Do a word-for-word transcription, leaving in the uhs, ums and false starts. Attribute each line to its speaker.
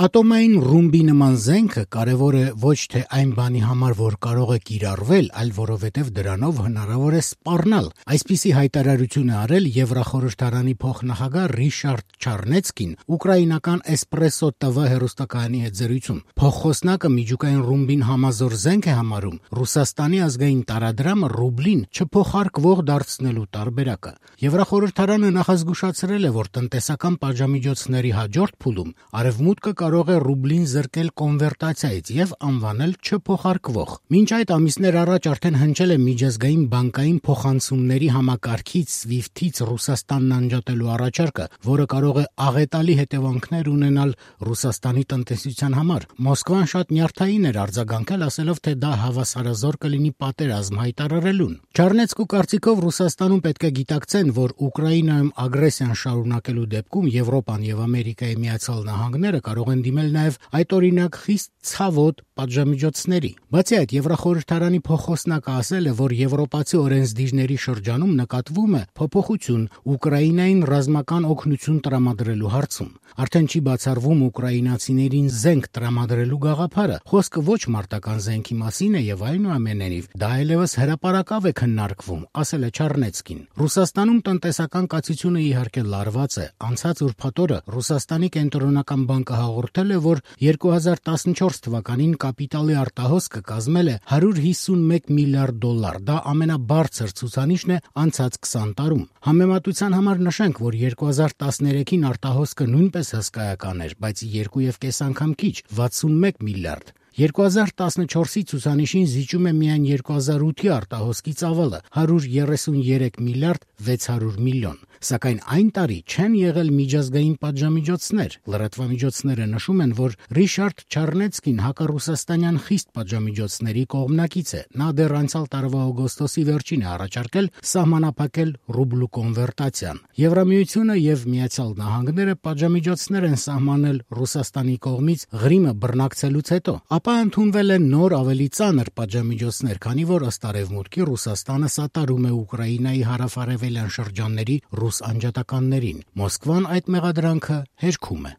Speaker 1: Ատոմային ռումբի նման զենքը կարևոր է ոչ թե այն բանի համար, որ կարող է կիրառվել, այլ որովհետև դրանով հնարավոր է սպառնալ։ Այսպիսի հայտարարություն է արել Եվրախորհրդարանի փոխնախագահ Ռիշարդ Չառնեցկին ուկրաինական Էսպրեսո T V հեռուստակայանի հետ զրույցում։ Փոխխոսնակը միջուկային ռումբին համազոր զենք է համարում Ռուսաստանի ազգային տարադրամը ռուբլին չփոխարկվող դարձնելու տարբերակը։ Եվրախորհրդարանը նախազգուշացրել է, որ տնտեսական պատժամիջոցների հաջորդ փուլում Արևմուտքը կարող է ռուբլին զրկել կոնվերտացիայից եւ անվանել չփոխարկվող։ Մինչ այդ ամիսներ առաջ արդեն հնչել է միջազգային բանկային փոխանցումների համակարգից սվիֆթից Ռուսաստանն անջատելու առաջարկը, որը կարող է աղետալի հետևանքներ ունենալ Ռուսաստանի տնտեսության համար։ Մոսկվան շատ նյարդային էր արձագանքել, ասելով, թե դա հավասարազոր կլինի պատերազմ հայտարարելուն։ Չառնեցկու կարծիքով Ռուսաստանում պետք է գիտակցեն, որ Ուկրաինայում ագրեսիան շարունակելու դեպքում Եվրոպան եւ Ամերիկայի Միացյալ Նահանգները կարող են դիմել նաեւ այդօրինակ խիստ ցավոտ պատժամիջոցների։ Բացի այդ, Եվրախորհրդարանի փոխխոսնակը ասել է, որ եվրոպացի օրենսդիրների շրջանում նկատվում է փոփոխություն Ուկրաինային ռազմական օգնություն տրամադրելու հարցում։ Արդեն չի բացառվում ուկրաինացիներին զենք տրամադրելու գաղափարը։ Խոսքը ոչ մարտական զենքի մասին է եւ այնուամենայնիվ դա այլևս հրապարակավ է քննարկվում, ասել է Չառնեցկին։ Ռուսաստանում տնտեսական կացությունը իհարկե լարված է։ Անցած ուրբաթ օրը Ռուսաստանի կենտրոնական բանկը հաղորդել է, որ երկու հազար տասնչորս թվականին կապիտալի արտահոսքը կազմել է հարյուր հիսունմեկ միլիարդ դոլար։ Դա ամենաբարձր ցուցանիշն է անցած քսան տարում։ Համեմատության համար նշենք, որ երկու հազար տասներեքին արտահոսքը նույնպես հսկայական էր, բայց երկու եւ կես անգամ քիչ՝ վաթսունմեկ միլիարդ։ երկու հազար տասնչորսի ցուցանիշին զիջում է միայն երկու հազար ութի արտահոսքի ծավալը՝ հարյուր երեսուներեք միլիարդ վեց հարյուր միլիոն։ Սակայն այն տարի չեն եղել միջազգային պատժամիջոցներ։ Լրատվամիջոցները նշում են, որ Ռիշարդ Չառնեցկին հակառուսաստանյան խիստ պատժամիջոցների կողմնակից է։ Նա դեռ անցյալ տարվա օգոստոսի վերջին է առաջարկել սահմանափակել ռուբլու կոնվերտացիան։ Եվրամիությունը եւ Միացյալ Նահանգները պատժամիջոցներ են սահմանել Ռուսաստանի կողմից Ղրիմը բռնակցելուց հետո, ապա ընդունվել են նոր ավելի ծանր պատժամիջոցներ, քանի որ ըստ Արևմուտքի Ռուսաստանը սատարում է Ուկրաինայի հարավարևելյան շրջանների ռուս անջատականներին։ Մոսկվան այդ մեղադրանքը հերքում է։